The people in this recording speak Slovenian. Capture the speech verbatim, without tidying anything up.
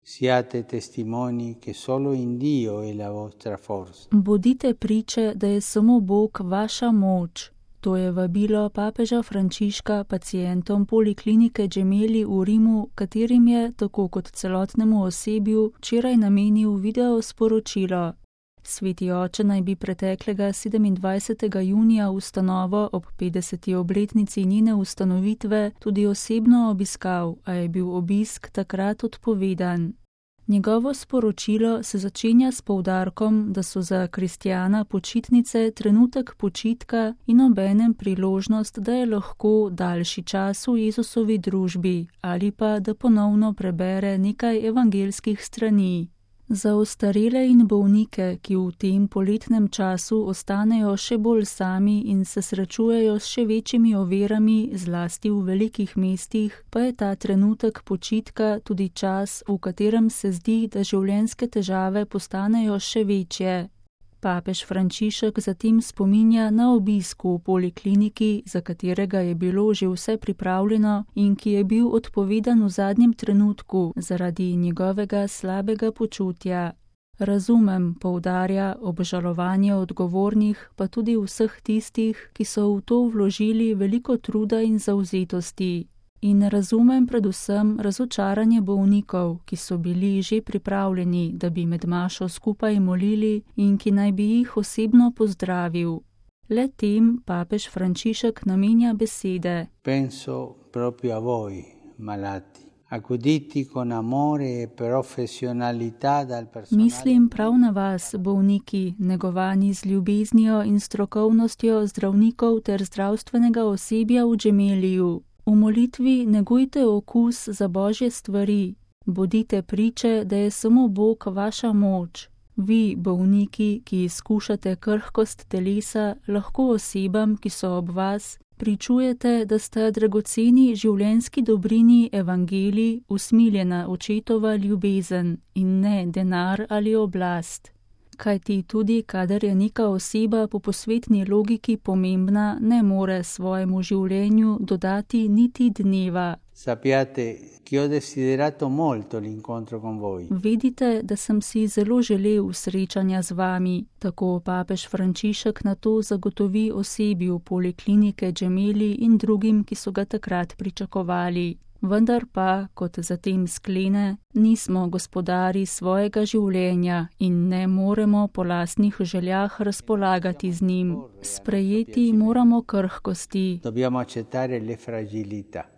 Siate testimoni che solo in Dio è la vostra forza. Bodite priče, da je samo Bog vaša moč. To je vabilo papeža Frančiška pacientom poliklinike Gemelli v Rimu, katerim je, tako kot celotnemu osebju, včeraj namenil video sporočilo. Sveti oče naj bi preteklega sedemindvajsetega junija ustanovo ob petdeseti obletnici njene ustanovitve tudi osebno obiskal, a je bil obisk takrat odpovedan. Njegovo sporočilo se začenja s poudarkom, da so za kristjana počitnice trenutek počitka in obenem priložnost, da je lahko daljši čas v Jezusovi družbi ali pa da ponovno prebere nekaj evangelskih strani. Za ostarele in bolnike, ki v tem poletnem času ostanejo še bolj sami in se srečujejo s še večjimi ovirami, zlasti v velikih mestih, pa je ta trenutek počitka tudi čas, v katerem se zdi, da življenjske težave postanejo še večje. Papež Frančišek zatem spominja na obisk v polikliniki, za katerega je bilo že vse pripravljeno in ki je bil odpovedan v zadnjem trenutku zaradi njegovega slabega počutja. Razumem, poudarja, obžalovanje odgovornih, pa tudi vseh tistih, ki so v to vložili veliko truda in zavzetosti. In razumem predvsem razočaranje bolnikov, ki so bili že pripravljeni, da bi med mašo skupaj molili in ki naj bi jih osebno pozdravil. Le tem papež Frančišek namenja besede. Penso proprio a voi, malati. Accuditi con amore e professionalità dal personale. Mislim prav na vas, bolniki, negovani z ljubeznijo in strokovnostjo zdravnikov ter zdravstvenega osebja v Gemelliju. V molitvi negujte okus za Božje stvari, bodite priče, da je samo Bog vaša moč. Vi, bolniki, ki izkušate krhkost telesa, lahko osebam, ki so ob vas, pričujete, da sta dragoceni življenjski dobrini evangelij usmiljena očetova ljubezen in ne denar ali oblast. Kajti tudi, kadar je neka oseba po posvetni logiki pomembna, ne more svojemu življenju dodati niti dneva. Sappiate che ho desiderato molto l'incontro con voi. Vedite, da sem si zelo želel srečanja z vami, tako papež Frančišek na to zagotovi osebju poliklinike Gemelli in drugim, ki so ga takrat pričakovali. Vendar pa, kot zatem sklene, nismo gospodari svojega življenja in ne moremo po lastnih željah razpolagati z njim. Sprejeti moramo krhkosti. Dobbiamo accettare le fragilità.